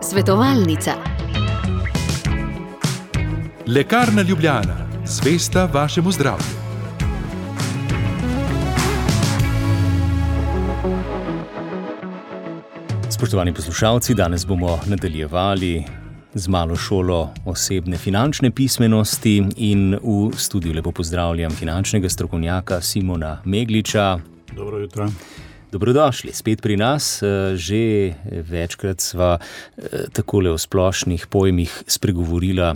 Svetovalnica. Lekarna Ljubljana, zvesta vašemu zdravju. Spoštovani poslušalci, danes bomo nadaljevali z malo šolo osebne finančne pismenosti in v studiu lepo pozdravljam finančnega strokovnjaka Simona Megliča. Dobro jutro. Dobrodošli spet pri nas. Že večkrat sva takole o splošnih pojmih spregovorila,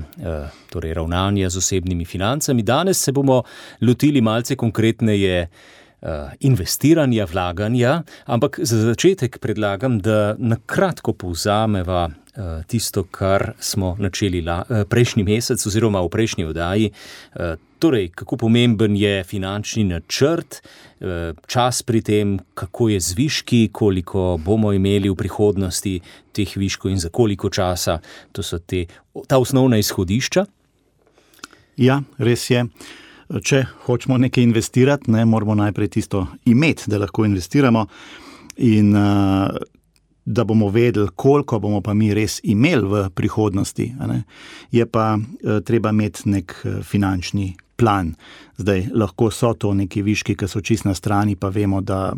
torej ravnanja z osebnimi financami. Danes se bomo lotili malce konkretneje investiranja, vlaganja, ampak za začetek predlagam, da na kratko povzameva tisto, kar smo načeli prejšnji mesec oziroma v prejšnji oddaji. Torej, kako pomemben je finančni načrt, čas pri tem, kako je z viški, koliko bomo imeli v prihodnosti teh viškov in za koliko časa. To so ta osnovna izhodišča. Ja, res je. Če hočemo nekaj investirati, moramo najprej tisto imeti, da lahko investiramo in da bomo vedeli, koliko bomo pa mi res imeli v prihodnosti. Je pa treba imeti nek finančni plan. Zdaj, lahko so to neki viški, ki so čisto na strani, pa vemo, da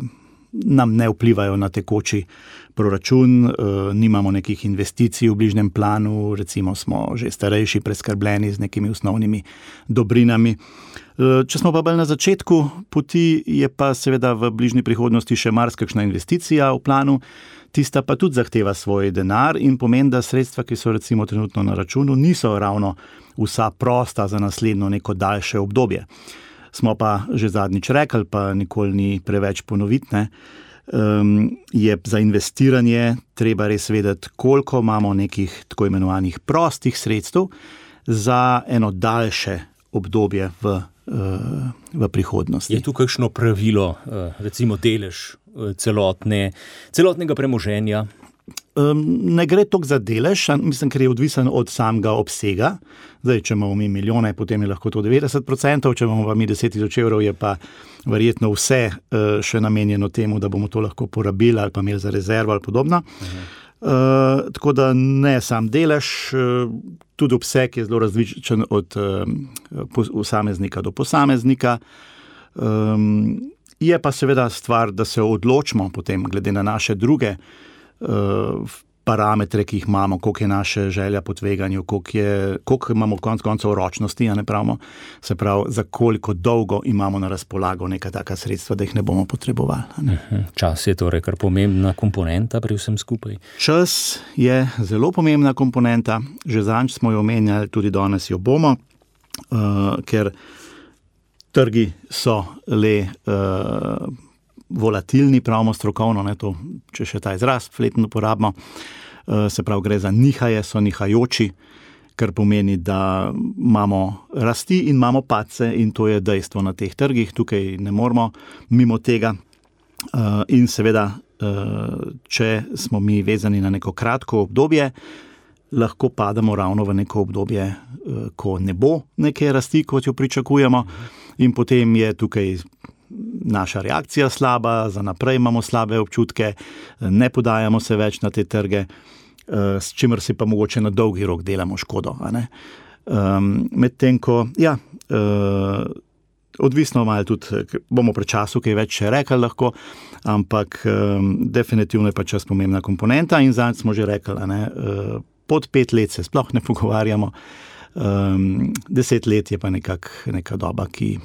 nam ne vplivajo na tekoči proračun, nimamo nekih investicij v bližnjem planu, recimo smo že starejši, preskrbljeni z nekimi osnovnimi dobrinami. Če smo pa bolj na začetku poti, je pa seveda v bližnji prihodnosti še marsikakšna investicija v planu, tista pa tudi zahteva svoj denar in pomeni, da sredstva, ki so recimo trenutno na računu, niso ravno vsa prosta za naslednjo neko daljše obdobje. Smo pa že zadnjič rekli, pa nikoli ni preveč ponoviti, je za investiranje treba res vedeti, koliko imamo nekih tako imenovanih prostih sredstev za eno daljše obdobje v prihodnosti. Je tu kakšno pravilo, recimo delež celotnega premoženja? Ne gre toliko za delež, mislim, ker je odvisen od samega obsega. Zdaj, če imamo mi milijone, potem je lahko to 90%, če imamo pa mi 10.000 evrov, je pa verjetno vse še namenjeno temu, da bomo to lahko porabili ali pa imeli za rezervo ali podobno. Tako da ne sam delež, tudi obseg je zelo različen od posameznika do posameznika. Je pa seveda stvar, da se odločimo potem glede na naše druge parametre, ki jih imamo, koliko je naše želja po tveganju, koliko imamo konec koncev ročnosti, se pravi, za koliko dolgo imamo na razpolago neka taka sredstva, da jih ne bomo potrebovali. Čas je torej kar pomembna komponenta pri vsem skupaj. Čas je zelo pomembna komponenta, že zadnjič smo jo omenjali, tudi danes jo bomo, ker trgi so le volatilni, pravimo strokovno, to, če še ta izraz fletno uporabimo, se pravi, gre za nihaje, so nihajoči, kar pomeni, da imamo rasti in imamo padce in to je dejstvo na teh trgih, tukaj ne moramo mimo tega in seveda, če smo mi vezani na neko kratko obdobje, lahko padamo ravno v neko obdobje, ko ne bo neke rasti, kot jo pričakujemo in potem je tukaj naša reakcija slaba, za naprej imamo slabe občutke, ne podajamo se več na te trge, s čimer si pa mogoče na dolgi rok delamo škodo. Medtem ko, odvisno malo tudi, bomo pri času kaj več še rekli lahko, ampak definitivno je pa čas pomembna komponenta in zadnjič smo že rekli, pod 5 let se sploh ne pogovarjamo, 10 let je pa neka doba, ki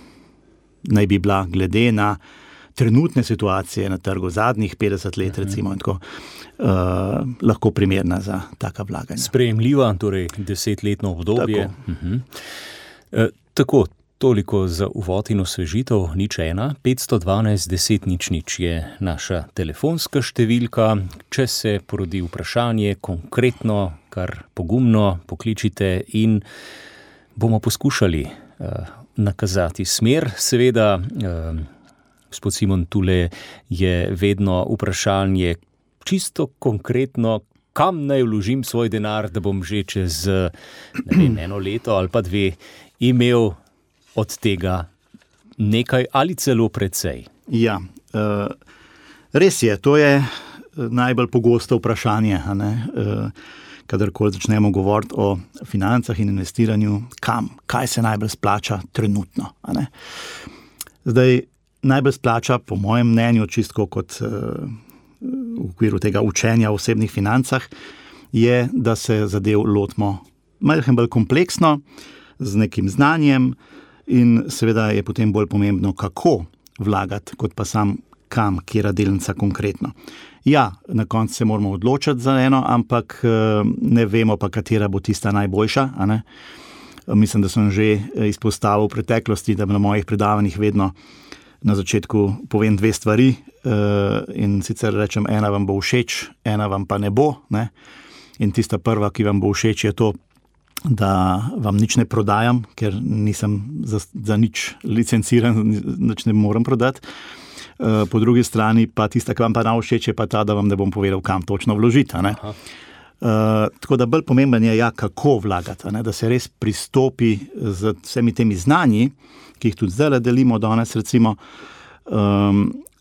naj bi bila glede na trenutne situacije na trgu zadnjih 50 let, recimo, in tako, lahko primerna za taka vlaganja. Sprejemljiva, torej 10-letno obdobje. Tako, toliko za uvod in osvežitev, 01 512 10 00 je naša telefonska številka. Če se porodi vprašanje, konkretno, kar pogumno pokličite in bomo poskušali nakazati smer. Seveda, gospod Simon, tule je vedno vprašanje čisto konkretno, kam naj vložim svoj denar, da bom že čez 1 leto ali pa 2 imel od tega nekaj ali celo precej. Ja, res je, to je najbolj pogosto vprašanje, kadarkoli začnemo govoriti o financah in investiranju, kaj se najbolj splača trenutno. Zdaj, najbolj splača, po mojem mnenju, čisto kot v okviru tega učenja o osebnih financah, je, da se zadev lotimo malo bolj kompleksno, z nekim znanjem in seveda je potem bolj pomembno, kako vlagati, kot pa sam kam, kjera delnica konkretno. Ja, na koncu se moramo odločiti za eno, ampak ne vemo pa, katera bo tista najboljša. Mislim, da sem že izpostavil v preteklosti, da na mojih predavanjih vedno na začetku povem 2 stvari in sicer rečem, ena vam bo všeč, ena vam pa ne bo. In tista prva, ki vam bo všeč, je to, da vam nič ne prodajam, ker nisem za nič licenciran, nič ne morem prodati. Po drugi strani pa tista, ki vam pa všeč, je pa ta, da vam ne bom povedal, kam točno vložiti. Tako da bolj pomemben je, kako vlagati, da se res pristopi z vsemi temi znanji, ki jih tudi zdaj delimo danes, recimo,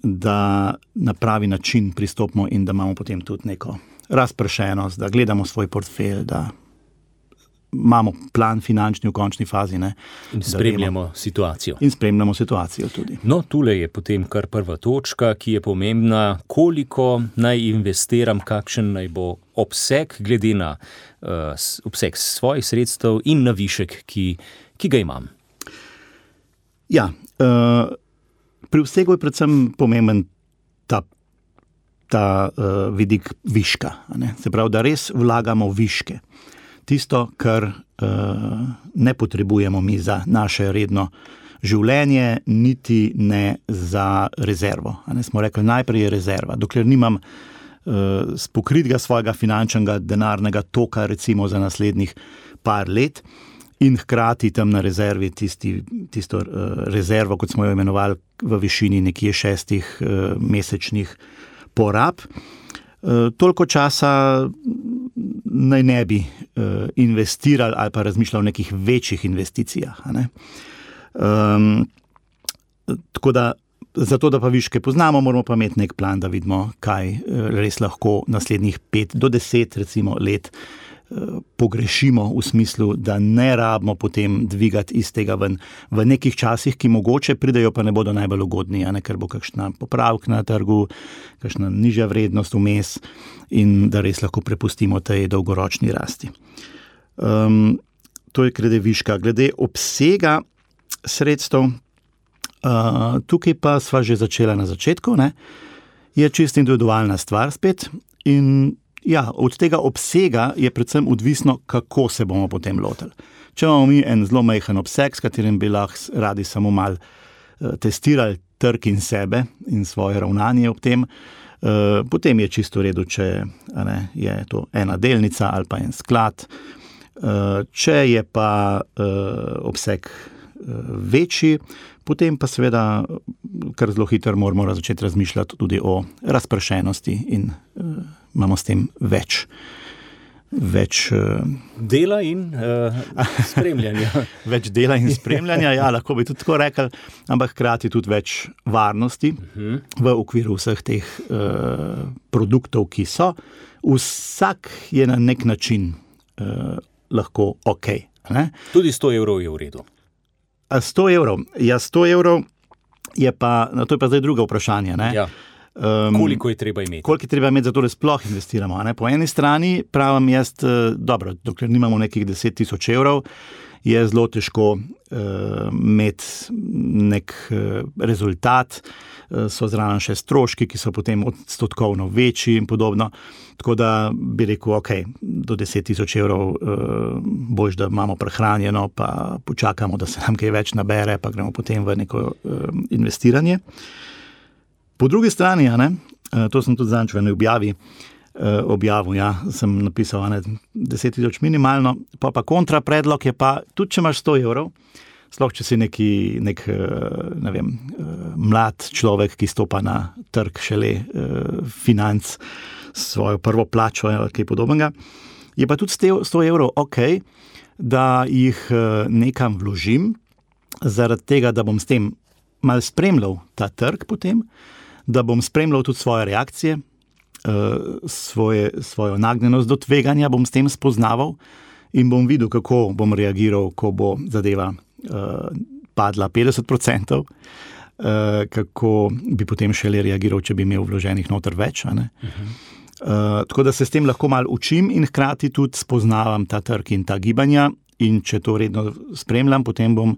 da na pravi način pristopimo in da imamo potem tudi neko razpršenost, da gledamo svoj portfelj, da imamo plan finančni v končni fazi. In spremljamo situacijo. In spremljamo situacijo tudi. No, tule je potem kar prva točka, ki je pomembna, koliko naj investiram, kakšen naj bo obseg, glede na obseg svojih sredstev in na višek, ki ga imam. Ja, pri vsegu je predvsem pomemben ta vidik viška. Se pravi, da res vlagamo viške. Tisto, kar ne potrebujemo mi za naše redno življenje, niti ne za rezervo. Smo rekli, najprej je rezerva. Dokler nimam spokritega svojega finančnega denarnega toka, recimo za naslednjih par let, in hkrati tam na rezervi tisto rezervo, kot smo jo imenovali, v višini nekje 6 mesečnih porab, toliko časa naj ne bi investirali ali pa razmišljali o nekih večjih investicijah. Tako da, zato da pa viške poznamo, moramo pa imeti nek plan, da vidimo, kaj res lahko naslednjih 5 do 10 recimo let pogrešimo v smislu, da ne rabimo potem dvigati iz tega ven v nekih časih, ki mogoče pridejo, pa ne bodo najbolj ugodni, ker bo kakšna popravka na trgu, kakšna nižja vrednost vmes in da res lahko prepustimo tej dolgoročni rasti. To je glede viška. Glede obsega sredstev, tukaj pa sva že začela na začetku, je čisto individualna stvar spet in ja, od tega obsega je predvsem odvisno, kako se bomo potem lotili. Če imamo mi en zelo majhen obseg, s katerim bi lahko radi samo malo testirali trg in sebe in svoje ravnanje ob tem, potem je čisto v redu, če je to ena delnica ali pa en sklad. Če je pa obseg večji, potem pa seveda kar zelo hitro moramo začeti razmišljati tudi o razpršenosti in imamo s tem več dela in spremljanja. Več dela in spremljanja, ja, lahko bi tudi tako rekli, ampak hkrati tudi več varnosti v okviru vseh teh produktov, ki so. Vsak je na nek način lahko ok. Tudi 100 evrov je v redu. 100 evrov. Ja, 100 evrov je pa, to je pa zdaj druga vprašanje. Ja. Koliko je treba imeti? Koliko je treba imeti, zato da sploh investiramo. Po eni strani pravim jaz, dobro, dokler nimamo nekih 10 000 evrov, je zelo težko imeti nek rezultat, so zraven še stroški, ki so potem odstotkovno večji in podobno. Tako da bi rekel, ok, do 10 000 evrov boljš, da imamo prehranjeno, pa počakamo, da se nam kaj več nabere, pa gremo potem v neko investiranje. Po drugi strani, to sem tudi zadnjič v eni objavil, sem napisal 10 000 minimalno, pa kontra predlog je pa, tudi če imaš 100 evrov, sploh če si nek mlad človek, ki stopa na trg šele financ, svojo prvo plačo ali kaj podobnega, je pa tudi 100 evrov ok, da jih nekam vložim, zaradi tega, da bom s tem malo spremljal ta trg potem, da bom spremljal tudi svoje reakcije, svojo nagnjenost do tveganja bom s tem spoznaval in bom videl, kako bom reagiral, ko bo zadeva padla 50%, kako bi potem šele reagiral, če bi imel vloženih noter več. Tako da se s tem lahko malo učim in hkrati tudi spoznavam ta trg in ta gibanja, in če to redno spremljam, potem bom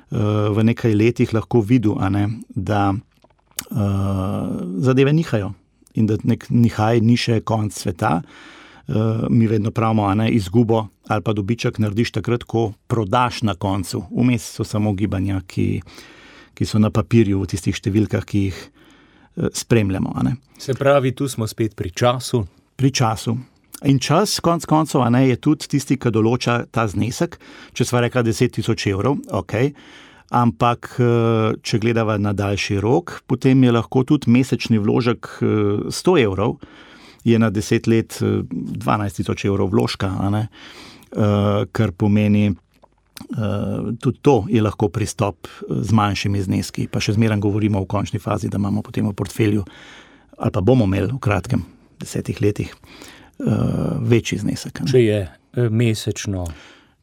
v nekaj letih lahko videl, da zadeve nihajo in da nek nihaj ni še konc sveta. Mi vedno pravimo, izgubo ali pa dobiček narediš takrat, ko prodaš na koncu. Vmes so samo gibanja, ki so na papirju v tistih številkah, ki jih spremljamo. Se pravi, tu smo spet pri času. Pri času. In čas, konc koncev, je tudi tisti, ki določa ta znesek. Če sva rekla 10 000 evrov, ok, ampak če gledava na daljši rok, potem je lahko tudi mesečni vložek 100 evrov, je na 10 let 12 000 evrov vložka, kar pomeni, tudi to je lahko pristop z manjšimi zneski, pa še zmeraj govorimo v končni fazi, da imamo potem v portfelju, ali pa bomo imeli v kratkem 10 letih večji znesek. Če je mesečno.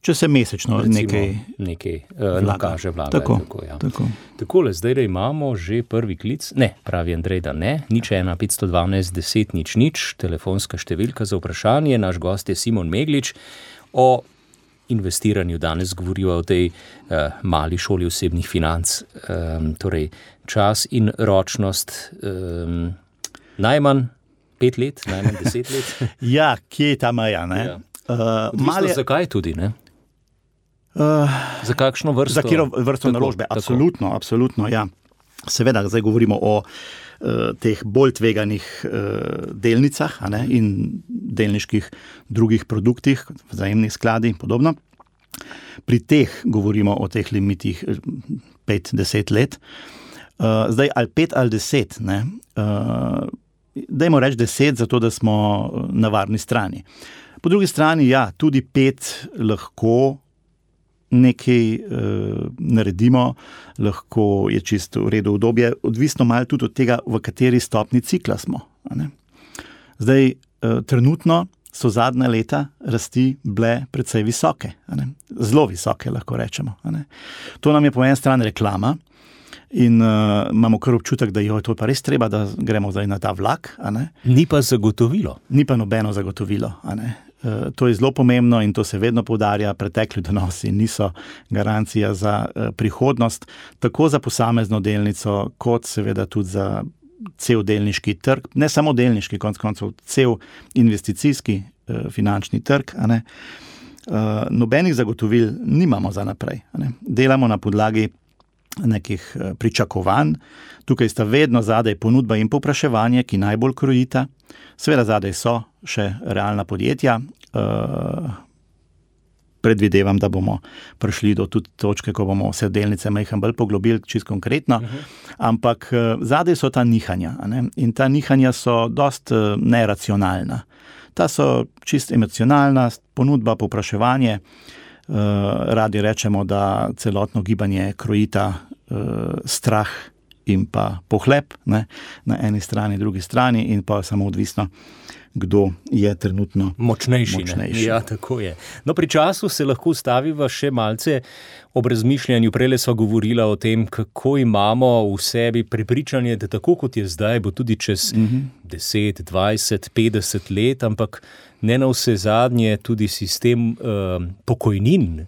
Če se mesečno nekaj nakaže vlaga. Tako. Takole, zdaj imamo že prvi klic. Ne, pravi Andrej, da ne. 01512 10 00, telefonska številka za vprašanje. Naš gost je Simon Meglič. O investiranju danes govorijo o tej mali šoli osebnih financ. Torej, čas in ročnost najmanj 5 let, najmanj 10 let. Ja, kje je ta meja, ne? Ja. Zakaj tudi, ne? Za kakšno vrsto? Za katero vrsto naložbe? Absolutno, ja. Seveda, zdaj govorimo o teh bolj tveganih delnicah in delniških drugih produktih, vzajemnih skladi in podobno. Pri teh govorimo o teh limitih 5-10 let. Zdaj, ali 5 ali 10, ne? Dajmo reči 10, zato da smo na varni strani. Po drugi strani, ja, tudi 5 lahko nekaj naredimo, lahko je čisto v redu obdobje, odvisno malo tudi od tega, v kateri stopni cikla smo. Zdaj, trenutno so zadnja leta rasti bile precej visoke, zelo visoke, lahko rečemo. To nam je po eni strani reklama, in imamo kar občutek, da je to pa res treba, da gremo zdaj na ta vlak. Ni pa zagotovilo. Ni pa nobeno zagotovilo. To je zelo pomembno in to se vedno poudarja, pretekli donosi niso garancija za prihodnost, tako za posamezno delnico, kot seveda tudi za cel delniški trg, ne samo delniški, konec koncev cel investicijski finančni trg. Nobenih zagotovil nimamo za naprej. Delamo na podlagi nekih pričakovanj. Tukaj sta vedno zadaj ponudba in povpraševanje, ki najbolj krojita. Seveda zadaj so še realna podjetja. Predvidevam, da bomo prišli do tudi točke, ko bomo vse delnice majhen bolj poglobili, čisto konkretno. Ampak zadaj so ta nihanja. In ta nihanja so dost neracionalna. Ta so čisto emocionalna, ponudba, povpraševanje. Radi rečemo, da celotno gibanje krojita strah in pa pohlep, na eni strani, drugi strani, in pa samo odvisno, kdo je trenutno močnejši. Ja, tako je. No, pri času se lahko ustaviva še malce ob razmišljanju. Prejle sva govorila o tem, kako imamo v sebi prepričanje, da tako kot je zdaj, bo tudi čez 10, 20, 50 let, ampak ne na vse zadnje tudi sistem pokojnin.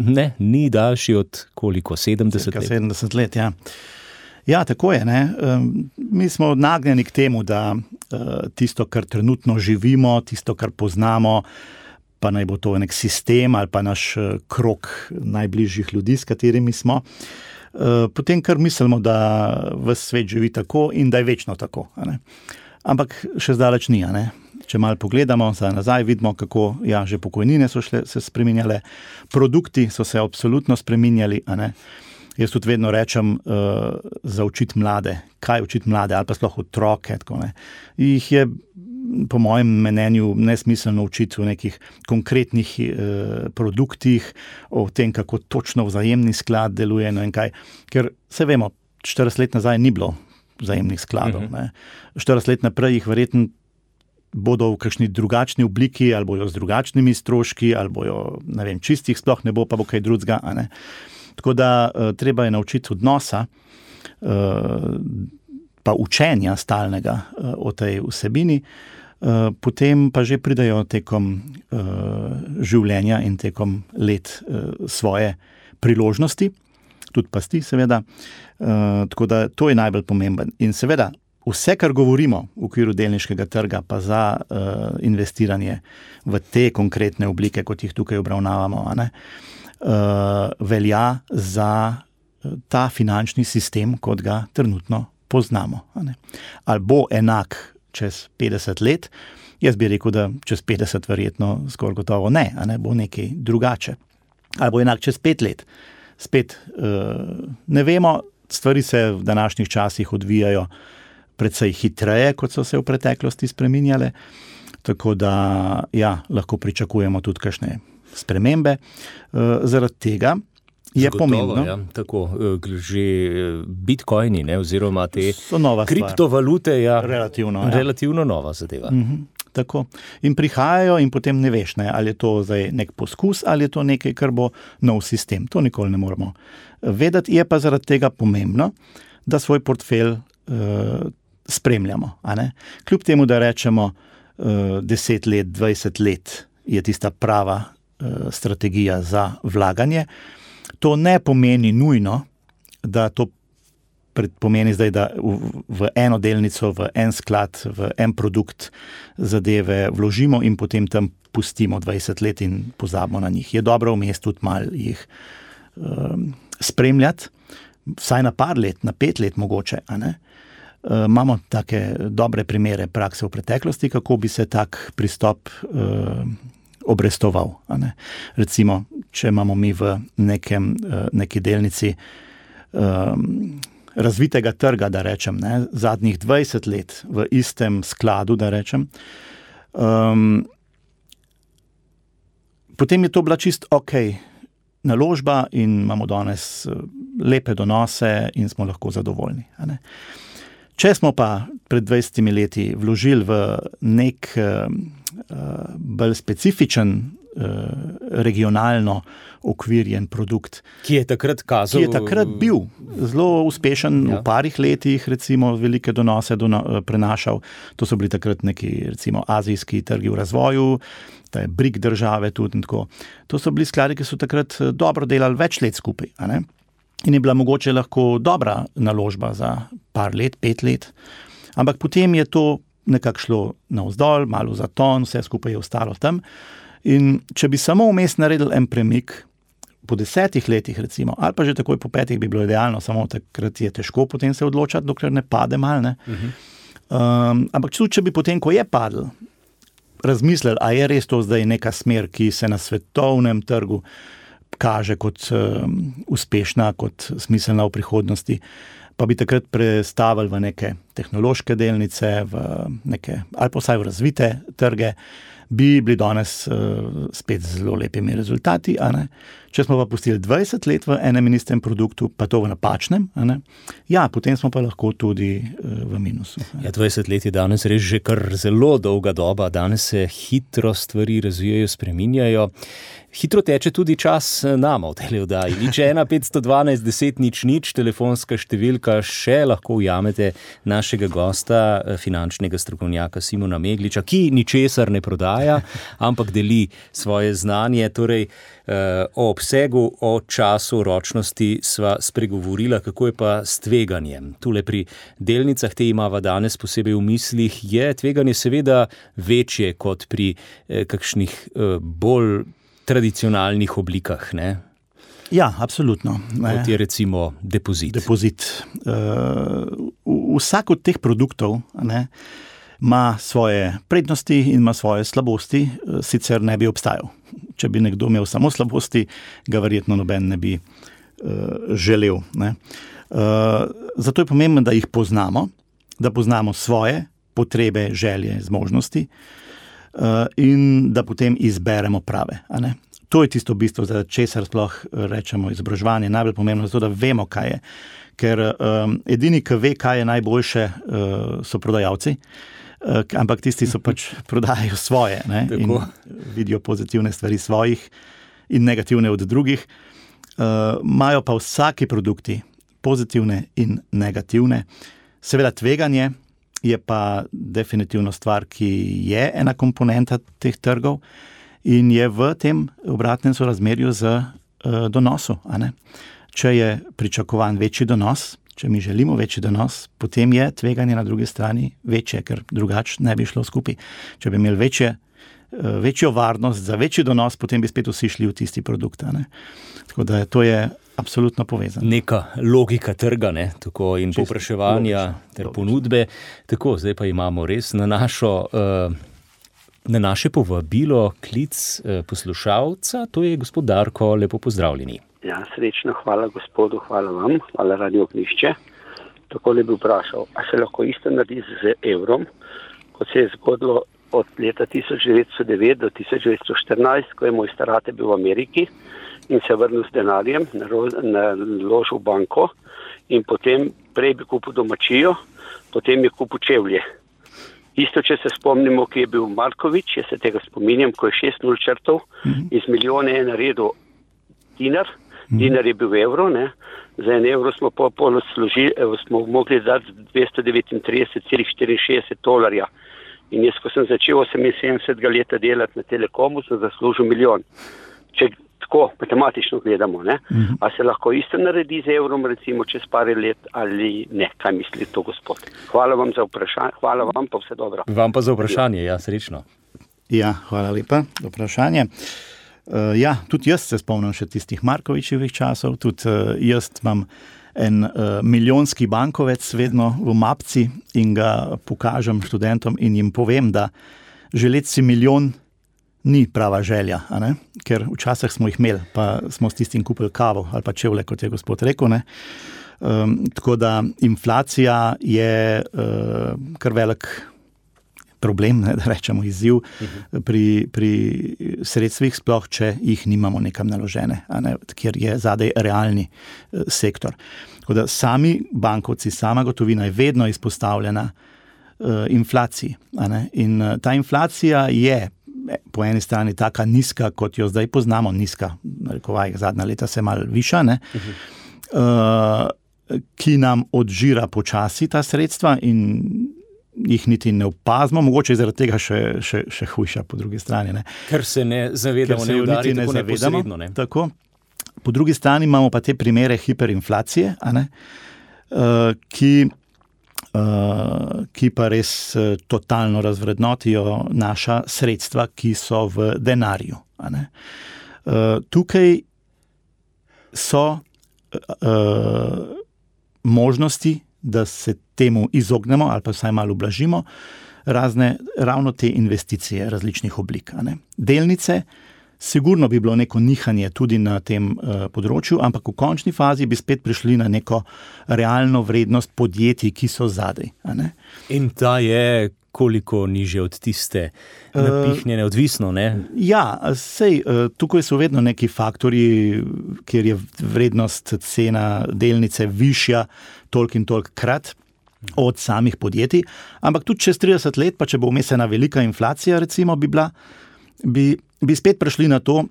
Ne, ni daljši od koliko, 70 let? 70 let, ja. Ja, tako je, ne. Mi smo nagnjeni k temu, da tisto, kar trenutno živimo, tisto, kar poznamo, pa naj bo to nek sistem ali pa naš krog najbližjih ljudi, s katerimi smo, potem kar mislimo, da ves svet živi tako in da je večno tako. Ampak še zdaleč ni, Če malo pogledamo nazaj, vidimo, kako že pokojnine so se spreminjale, produkti so se absolutno spreminjali. Jaz tudi vedno rečem za učiti mlade. Kaj učiti mlade ali pa sploh otroke? Jih je po mojem mnenju nesmiselno učiti v nekih konkretnih produktih, o tem, kako točno vzajemni sklad deluje in kaj. Ker se vemo, 40 let nazaj ni bilo vzajemnih skladov. 40 let naprej jih verjetno bodo v kakšni drugačni obliki, ali bojo z drugačnimi stroški, ali bojo, ne vem, čistih sploh ne bo, pa bo kaj drugega. Tako da treba je naučiti odnosa, pa učenja stalnega o tej vsebini, potem pa že pridajo tekom življenja in tekom let svoje priložnosti, tudi pasti seveda, tako da to je najbolj pomemben. In seveda, vse, kar govorimo v okviru delniškega trga, pa za investiranje v te konkretne oblike, kot jih tukaj obravnavamo, velja za ta finančni sistem, kot ga trenutno poznamo. Ali bo enak čez 50 let, jaz bi rekel, da čez 50 verjetno skoraj gotovo ne, bo nekaj drugače. Ali bo enak čez 5 let. Spet ne vemo, stvari se v današnjih časih odvijajo precej hitreje, kot so se v preteklosti spreminjale, tako da lahko pričakujemo tudi kakšne spremembe. Zaradi tega je pomembno. Ja, tako, že bitcoini, oziroma te kriptovalute, relativno nova zadeva. Tako. In prihajajo in potem ne veš, ali je to zdaj nek poskus, ali je to nekaj, kar bo nov sistem. To nikoli ne moramo vedeti. Je pa zaradi tega pomembno, da svoj portfelj spremljamo. Kljub temu, da rečemo 10 let, 20 let je tista prava strategija za vlaganje, to ne pomeni nujno, da to pomeni zdaj, da v eno delnico, v en sklad, v en produkt zadeve vložimo in potem tam pustimo 20 let in pozabimo na njih. Je dobro vmes tudi malo jih spremljati, vsaj na par let, na 5 let mogoče, imamo take dobre primere prakse v preteklosti, kako bi se tak pristop obrestoval. Recimo, če imamo mi v neki delnici razvitega trga, da rečem, zadnjih 20 let v istem skladu, da rečem, potem je to bila čist naložba in imamo danes lepe donose in smo lahko zadovoljni. Če smo pa pred 20 leti vložili v nek bolj specifičen regionalno okvirjen produkt, ki je takrat bil zelo uspešen, v parih letih recimo velike donose prenašal. To so bili takrat neki recimo azijski trgi v razvoju, te BRIC države tudi in tako. To so bili skladi, ki so takrat dobro delali več let skupaj, in je bila mogoče lahko dobra naložba za par let, 5 let, ampak potem je to nekako šlo navzdol, malo za ton, vse skupaj je ostalo tam. In če bi samo vmes naredili en premik, po 10 letih recimo, ali pa že takoj po 5 bi bilo idealno, samo takrat je težko potem se odločati, dokler ne pade malo. Ampak tudi, če bi potem, ko je padel, razmislili, a je res to zdaj neka smer, ki se na svetovnem trgu kaže kot uspešna, kot smiselna v prihodnosti, pa bi takrat prestavili v neke tehnološke delnice, v neke, ali pa vsaj v razvite trge, bi bili danes spet z zelo lepimi rezultati. Če smo pa pustili 20 let v enem in istem produktu, pa to v napačnem, potem smo pa lahko tudi v minusu. 20 let je danes res že kar zelo dolga doba, danes se hitro stvari razvijajo, spreminjajo. Hitro teče tudi čas nama v tej oddaji. Nič 1 512 10 00, telefonska številka, še lahko ujamete našega gosta, finančnega strokovnjaka Simona Megliča, ki ničesar ne prodaja, ampak deli svoje znanje. Torej, o obsegu, o času ročnosti sva spregovorila, kako je pa s tveganjem. Tule pri delnicah, te imava danes posebej v mislih, je tveganje seveda večje kot pri kakšnih bolj tradicionalnih oblikah, ne? Ja, absolutno. Kot je recimo depozit. Vsak od teh produktov ima svoje prednosti in ima svoje slabosti, sicer ne bi obstajal. Če bi nekdo imel samo slabosti, ga verjetno noben ne bi želel. Zato je pomembno, da jih poznamo, da poznamo svoje potrebe, želje, zmožnosti in da potem izberemo prave. To je tisto bistvo, za česar sploh rečemo izobraževanje, najbolj pomembno, zato da vemo, kaj je. Ker edini, ki ve, kaj je najboljše, so prodajalci. ampak tisti so pač prodajajo svoje, ne, in vidijo pozitivne stvari svojih in negativne od drugih. Imajo pa vsaki produkti pozitivne in negativne. Seveda tveganje je pa definitivno stvar, ki je ena komponenta teh trgov in je v tem obratnem sorazmerju z donosu. A ne? Če je pričakovan večji donos, če mi želimo večji donos, potem je tveganje na drugi strani večje, ker drugače ne bi šlo skupaj. Če bi imeli večjo varnost za večji donos, potem bi spet vsi šli v tisti produkt. A ne? Tako da to je absolutno povezano. Neka logika trga, ne? Tako in povpraševanja ter ponudbe. Tako, zdaj pa imamo res na naše povabilo klic poslušalca, to je gospod Darko, lepo pozdravljeni. Ja, srečno, hvala gospodu, hvala vam, hvala Radio Ognjišče. Takole bi vprašal, a se lahko isto naredi z evrom, kot se je zgodilo od leta 1909 do 1914, ko je moj starate bil v Ameriki in se vrnil s denarjem, naložil v banko in potem prej bi kupil domačijo, potem je kupil čevlje. Isto, če se spomnimo, ki je bil Markovič, jaz se tega spominjam, ko je 6-0 črtov, iz milijone je naredil dinar, dinar je bil evro, ne? Za en evro smo smo mogli dati $239,64. In jaz, ko sem začel 78 leta delati na Telekomu, sem zaslužil milijon. Če tako matematično gledamo, ne? A se lahko isto naredi z evrom, recimo čez par let ali ne? Kaj misli to gospod? Hvala vam za vprašanje, hvala vam pa vse dobro. Vam pa za vprašanje, ja, srečno. Ja, hvala lepa za vprašanje. Ja, tudi jaz se spomnim še tistih Markovičevih časov, tudi jaz imam en milijonski bankovec vedno v mapci in ga pokažem študentom in jim povem, da želeti si milijon ni prava želja, a ne? Ker včasih smo jih imeli, pa smo s tistim kupili kavo ali pa čevlje, kot je gospod rekel. Ne? Tako da inflacija je kar velik problem, ne, da rečemo izziv pri sredstvih, sploh če jih nimamo nekam naložene, a ne, kjer je zadaj realni sektor. Tako da sami bankovci, sama gotovina je vedno izpostavljena inflaciji. A ne, in ta inflacija je po eni strani taka nizka, kot jo zdaj poznamo, nizka, narekovaj, zadnja leta se malo viša, ne, ki nam odžira počasi ta sredstva in jih niti ne opazimo, mogoče zaradi tega še hujša po drugi strani. Ne. Ker se ne zavedamo, ne udari tako neposredno. Ne. Tako. Po drugi strani imamo pa te primere hiperinflacije, a ne, ki pa res totalno razvrednotijo naša sredstva, ki so v denarju. A ne. Tukaj so možnosti, da se temu izognemo ali pa vsaj malo ublažimo, ravno te investicije različnih oblik. A ne. Delnice, sigurno bi bilo neko nihanje tudi na tem področju, ampak v končni fazi bi spet prišli na neko realno vrednost podjetij, ki so zadaj. A ne. In ta je koliko nižje od tiste napihnjene, odvisno, ne? Ja, sej, tukaj so vedno neki faktorji, kjer je vrednost cena delnice višja toliko in toliko krat od samih podjetij, ampak tudi čez 30 let, pa če bo vmes ena velika inflacija, recimo, bi spet prišli na to,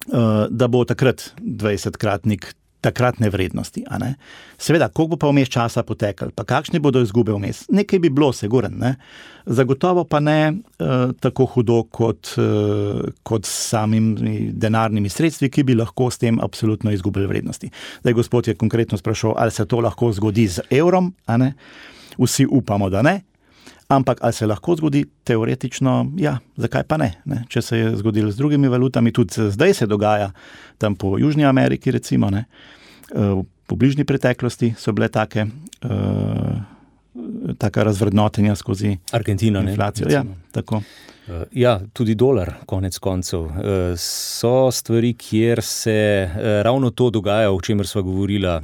da bo takrat 20-kratnik takratne vrednosti. A ne? Seveda, koliko bo pa vmes časa potekal, pa kakšne bodo izgube vmes? Nekaj bi bilo, siguren, ne? Zagotovo pa ne tako hudo kot s samimi denarnimi sredstvi, ki bi lahko s tem absolutno izgubili vrednosti. Zdaj, gospod je konkretno sprašal, ali se to lahko zgodi z evrom, a ne? Vsi upamo, da ne. Ampak ali se lahko zgodi? Teoretično, ja, zakaj pa ne? Če se je zgodilo z drugimi valutami, tudi zdaj se dogaja tam po Južni Ameriki, recimo, ne? Po bližnji preteklosti so bile taka razvrednotenja skozi Argentina, inflacijo. Ne? Ja, tako. Ja, tudi dolar, konec koncev. So stvari, kjer se ravno to dogaja, o čemer sva govorila,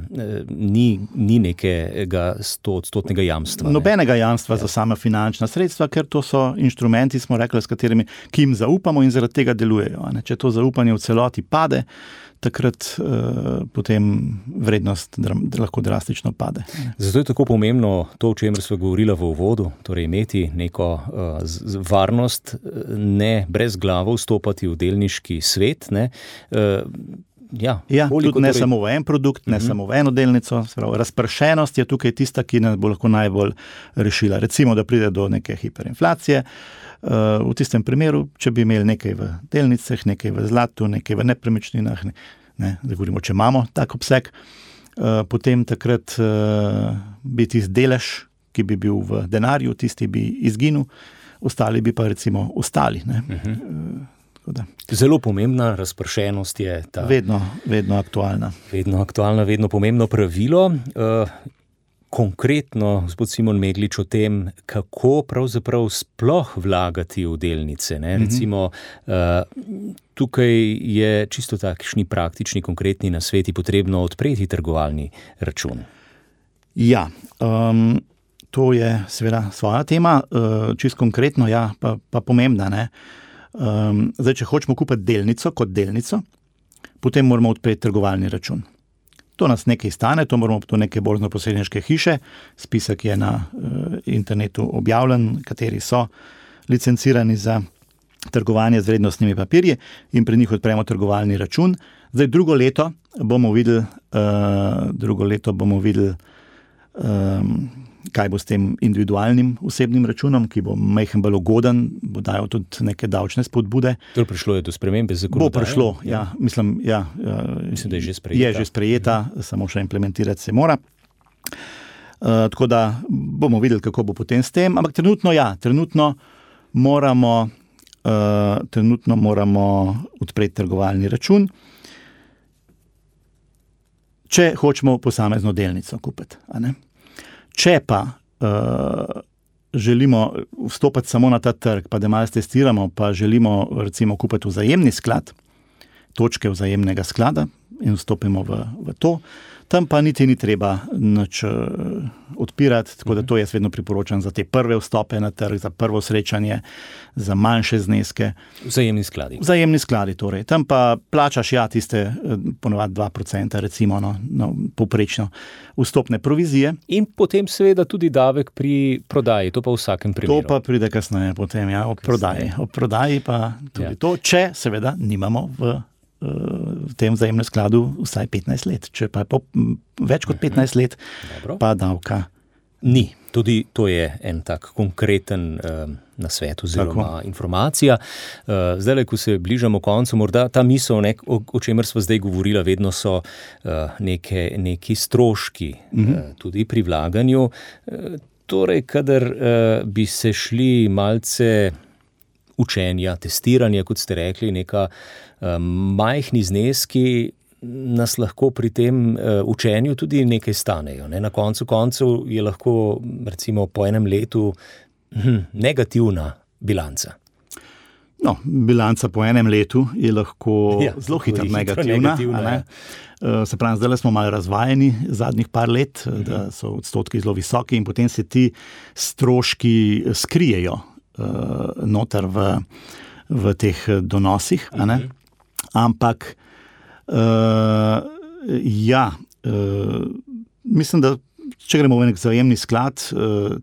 ni nekega 100% jamstva. Nobenega jamstva za sama finančna sredstva, ker to so inštrumenti, smo rekli, s katerimi, ki jim zaupamo in zaradi tega delujejo. Če to zaupanje v celoti pade, takrat potem vrednost lahko drastično pade. Zato je tako pomembno to, o čemer smo govorili v uvodu, torej imeti neko varnost, ne brez glavo vstopati v delniški svet, ne. Tudi ne samo v en produkt, ne samo v eno delnico, razpršenost je tukaj tista, ki nas bo lahko najbolj rešila. Recimo, da pride do neke hiperinflacije, v tistem primeru, če bi imeli nekaj v delnicah, nekaj v zlatu, nekaj v nepremičninah, da govorimo, če imamo tak obseg, potem takrat bi tisti delež, ki bi bil v denarju, tisti bi izginil, ostali bi pa recimo ostali. Zelo pomembna razpršenost je ta. Vedno aktualna. Vedno aktualna, vedno pomembno pravilo. Konkretno, gospod Simon Meglič, o tem, kako pravzaprav sploh vlagati v delnice. Recimo, tukaj je čisto takšni praktični, konkretni nasveti potrebno odpreti trgovalni račun. Ja, to je seveda svoja tema, čisto konkretno, pa pomembna, ne. Zdaj, če hočemo kupiti delnico kot delnico, potem moramo odpreti trgovalni račun. To nas nekaj stane, to moramo to neke borznoposredniške hiše, spisek je na internetu objavljen, kateri so licencirani za trgovanje z vrednostnimi papirji in pri njih odpremo trgovalni račun. Zdaj, drugo leto bomo videli, kaj bo s tem individualnim osebnim računom, ki bo majhen bolj ugoden, bo dajal tudi neke davčne spodbude. Torej prišlo je do spremembe zakonodaje? Bo prišlo, mislim, da je že sprejeta. Je že sprejeta, samo še implementirati se mora. Tako da bomo videli, kako bo potem s tem, ampak trenutno moramo odpreti trgovalni račun, če hočemo posamezno delnico kupiti, a ne? Če pa želimo vstopati samo na ta trg, pa da malo testiramo, pa želimo recimo kupiti vzajemni sklad, točke vzajemnega sklada in vstopimo v to, tam pa niti ni treba nič odpirati, tako da to jaz vedno priporočam za te prve vstope na trg, za prvo srečanje, za manjše zneske. Vzajemni skladi. Vzajemni skladi, torej. Tam pa plačaš tiste ponovadi 2%, recimo, povprečno vstopne provizije. In potem seveda tudi davek pri prodaji, to pa v vsakem primeru. To pa pride kasneje potem, ob prodaji. Ob prodaji pa tudi to, če seveda nimamo v tem vzajemnem skladu vsaj 15 let. Če pa je več kot 15 let, pa davka ni. Tudi to je en tak konkreten nasvet oziroma informacija. Zdaj, ko se bližamo koncu, morda ta misel, o čemer smo zdaj govorila, vedno so neki stroški tudi pri vlaganju. Torej, kadar bi se šli malce učenja, testiranja, kot ste rekli, neka majhni zneski nas lahko pri tem učenju tudi nekaj stanejo. Na koncu koncev je lahko recimo po enem letu negativna bilanca. Bilanca po enem letu je lahko zelo hitro negativna. Se pravi, zdaj smo malo razvajeni zadnjih par let, da so odstotki zelo visoki in potem se ti stroški skrijejo noter v teh donosih, a ne? Ampak mislim, da če gremo v nek vzajemni sklad,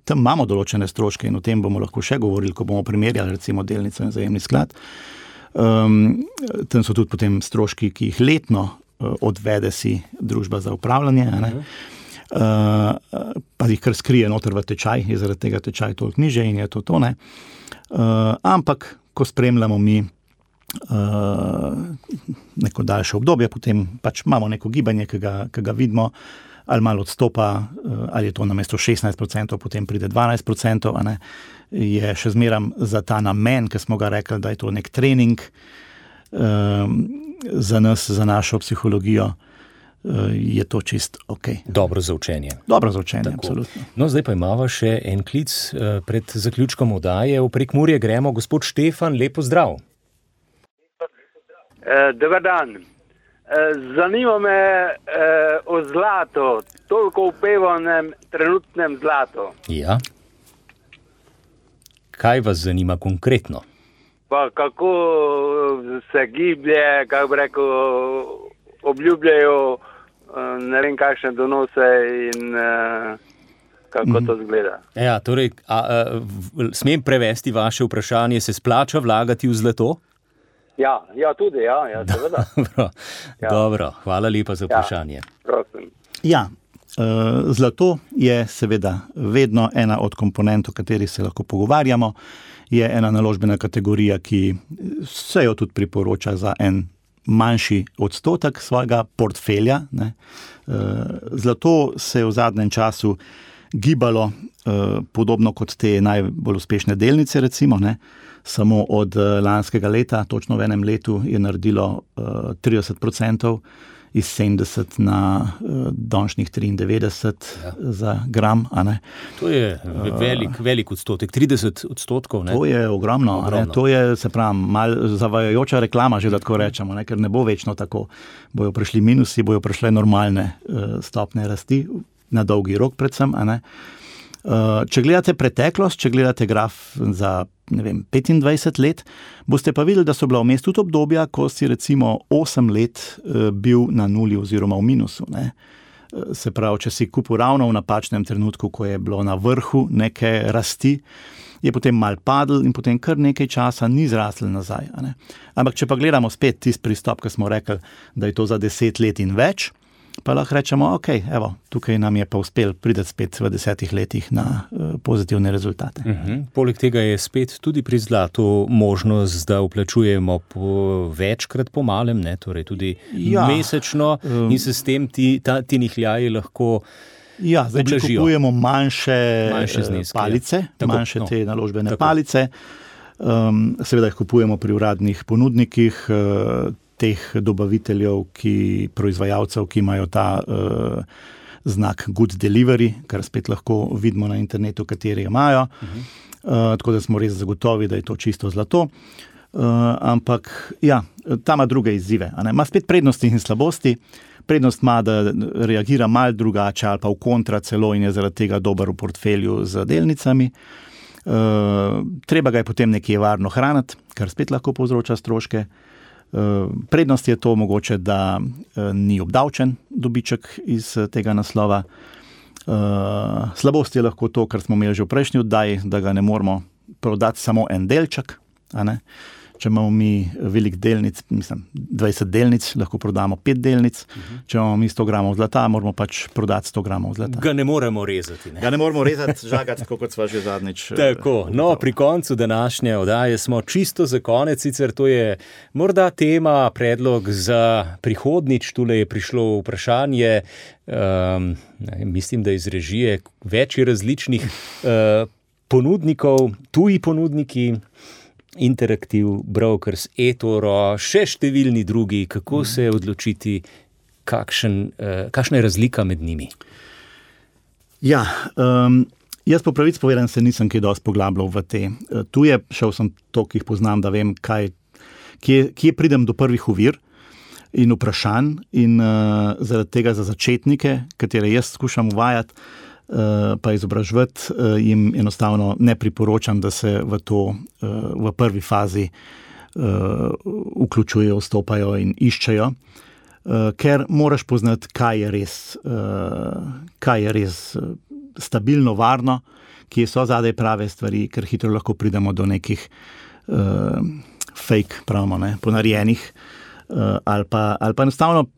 tam imamo določene stroške in o tem bomo lahko še govorili, ko bomo primerjali recimo delnico in vzajemni sklad. Tam so tudi potem stroški, ki jih letno odvede si družba za upravljanje, a ne? Pa jih kar skrije noter v tečaj, je zaradi tega tečaj toliko nižje in je to, ne. Ampak, ko spremljamo mi neko daljše obdobje, potem pač imamo neko gibanje, ki ga vidimo, ali malo odstopa, ali je to namesto 16%, potem pride 12%, a ne, je še zmeram za ta namen, ki smo ga rekli, da je to nek trening za nas, za našo psihologijo, je to čist ok. Dobro za učenje. Dobro za učenje, absolutno. No, zdaj pa imamo še en klic pred zaključkom oddaje. V Prekmurje gremo. Gospod Štefan, lepo zdrav. Dobar dan. Zanima me o zlatu, toliko upevanem trenutnem zlatu. Ja. Kaj vas zanima konkretno? Pa kako se giblje, kako bi rekel, obljubljajo ne vem kakšne donose in kako to zgleda. Ja, torej, smem prevesti vaše vprašanje, se splača vlagati v zlato? Ja, tudi, seveda. Dobro, hvala lepa za vprašanje. Prosim. Ja, zlato je seveda vedno ena od komponent, o kateri se lahko pogovarjamo. Je ena naložbena kategorija, ki se jo tudi priporoča za en manjši odstotek svojega portfelja. Ne. Zlato se je v zadnjem času gibalo podobno kot te najbolj uspešne delnice, recimo, ne. Samo od lanskega leta, točno v enem letu, je naredilo 30%, iz 70 na donšnjih 93 za gram. A ne. To je velik odstotek, 30%. Ne? To je ogromno. Ne. To je, se pravi, malo zavajajoča reklama, že da tako rečemo, ne, ker ne bo večno tako. Bojo prišli minusi, bojo prišle normalne stopne rasti, na dolgi rok predvsem. A ne. Če gledate preteklost, če gledate graf za 25 let, boste pa videli, da so bila vmes tudi obdobja, ko si recimo 8 let bil na nuli oziroma v minusu. Ne. Se pravi, če si kupil ravno v napačnem trenutku, ko je bilo na vrhu neke rasti, je potem mal padel in potem kar nekaj časa ni zrastel nazaj. A ne. Ampak če pa gledamo spet tisti pristop, ki smo rekli, da je to za 10 let in več, pa lahko rečemo, ok, evo, tukaj nam je pa uspel priti spet v 10 letih na pozitivne rezultate. Poleg tega je spet tudi pri zlatu možnost, da vplačujemo večkrat po malem, ne, torej tudi mesečno in se s tem ti nihljaji lahko zdaj, če kupujemo manjše palice, manjše te naložbene palice, seveda jih kupujemo pri uradnih ponudnikih, teh dobaviteljev, proizvajalcev, ki imajo ta znak Good Delivery, kar spet lahko vidimo na internetu, kateri imajo. Tako da smo res zagotovi, da je to čisto zlato. Ampak ta ima druge izzive. Ima spet prednosti in slabosti. Prednost ima, da reagira malo drugače ali pa v kontra celo in je zaradi tega dober v portfelju z delnicami. Treba ga je potem nekje varno hraniti, kar spet lahko povzroča stroške. Prednost je to mogoče, da ni obdavčen dobiček iz tega naslova. Slabost je lahko to, kar smo imeli že v prejšnji oddaji, da ga ne moramo prodati samo en delček. A ne? Če imamo mi velik delnic, 20 delnic, lahko prodamo 5 delnic. Če imamo mi 100 gramov zlata, moramo pač prodati 100 gramov zlata. Ga ne moremo rezati. Ne? Ga ne moremo rezati, žagati, tako kot sva že zadnjič. Tako, pri koncu današnje oddaje smo čisto za konec, sicer to je morda tema, predlog za prihodnič, tule je prišlo vprašanje, mislim, da iz režije več različnih ponudnikov, tuji ponudniki, Interactive Brokers, eToro, še številni drugi, kako se odločiti, kakšna je razlika med njimi? Jaz po pravici povedan se nisem kaj dosti poglabljal v te. Tuje, šel sem toliko jih poznam, da vem, kje pridem do prvih ovir in vprašanj in zaradi tega za začetnike, katere jaz skušam uvajati, pa izobraževati, jim enostavno ne priporočam, da se v to v prvi fazi vključujejo, vstopajo in iščejo, ker moraš poznati, kaj je res stabilno, varno, kje so zadaj prave stvari, ker hitro lahko pridemo do nekih fake, pravimo, ne, ponarejenih ali pa enostavno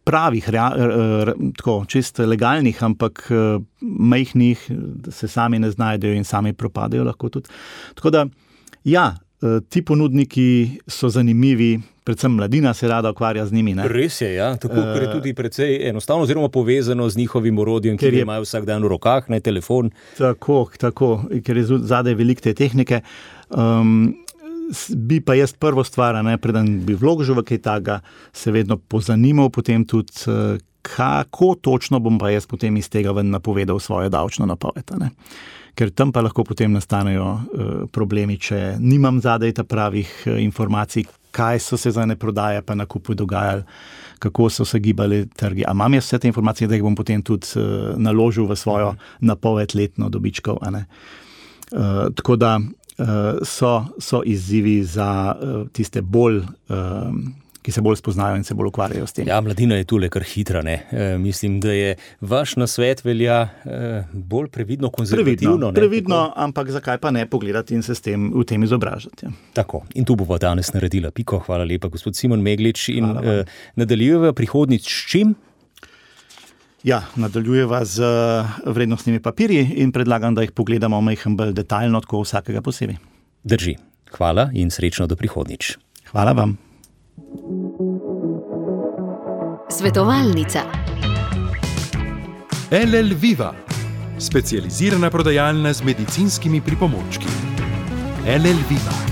pravih, tako, čisto legalnih, ampak majhnih, se sami ne znajdejo in sami propadajo lahko tudi. Tako da, ti ponudniki so zanimivi, predvsem mladina se rada ukvarja z njimi. Ne? Res je, tako, ker je tudi precej enostavno oziroma povezano z njihovim orodjem, ki imajo vsak dan v rokah, ne telefon. Tako, ker je zadaj veliko te tehnike. Bi pa jaz prvo stvar, preden bi vložil v kaj takega, se vedno pozanimal potem tudi, kako točno bom pa jaz potem iz tega ven napovedal svojo davčno napoved. Ker tam pa lahko potem nastanejo problemi, če nimam zadaj ta pravih informacij, kaj so se za ne prodaje pa nakupu dogajali, kako so se gibali trgi. A imam jaz vse te informacije, da jih bom potem tudi naložil v svojo napoved letno dobičkov. Tako da so izzivi za tiste bolj, ki se bolj spoznajo in se bolj ukvarjajo s tem. Ja, mladina je tule kar hitra, ne? Mislim, da je vaš nasvet velja bolj previdno, konzervativno. Previdno, ampak zakaj pa ne pogledati in se s tem v tem izobražati. Ja. Tako, in tu bomo danes naredila piko. Hvala lepa, gospod Simon Meglič. In nadaljujeva prihodnjič s čim? Ja, nadaljujeva z vrednostnimi papirji in predlagam, da jih pogledamo majhen bolj detaljno, tako vsakega posebej. Drži. Hvala in srečno do prihodnjič. Hvala vam. Svetovalnica. LL Viva, specializirana prodajalna z medicinskimi pripomočki. LL Viva.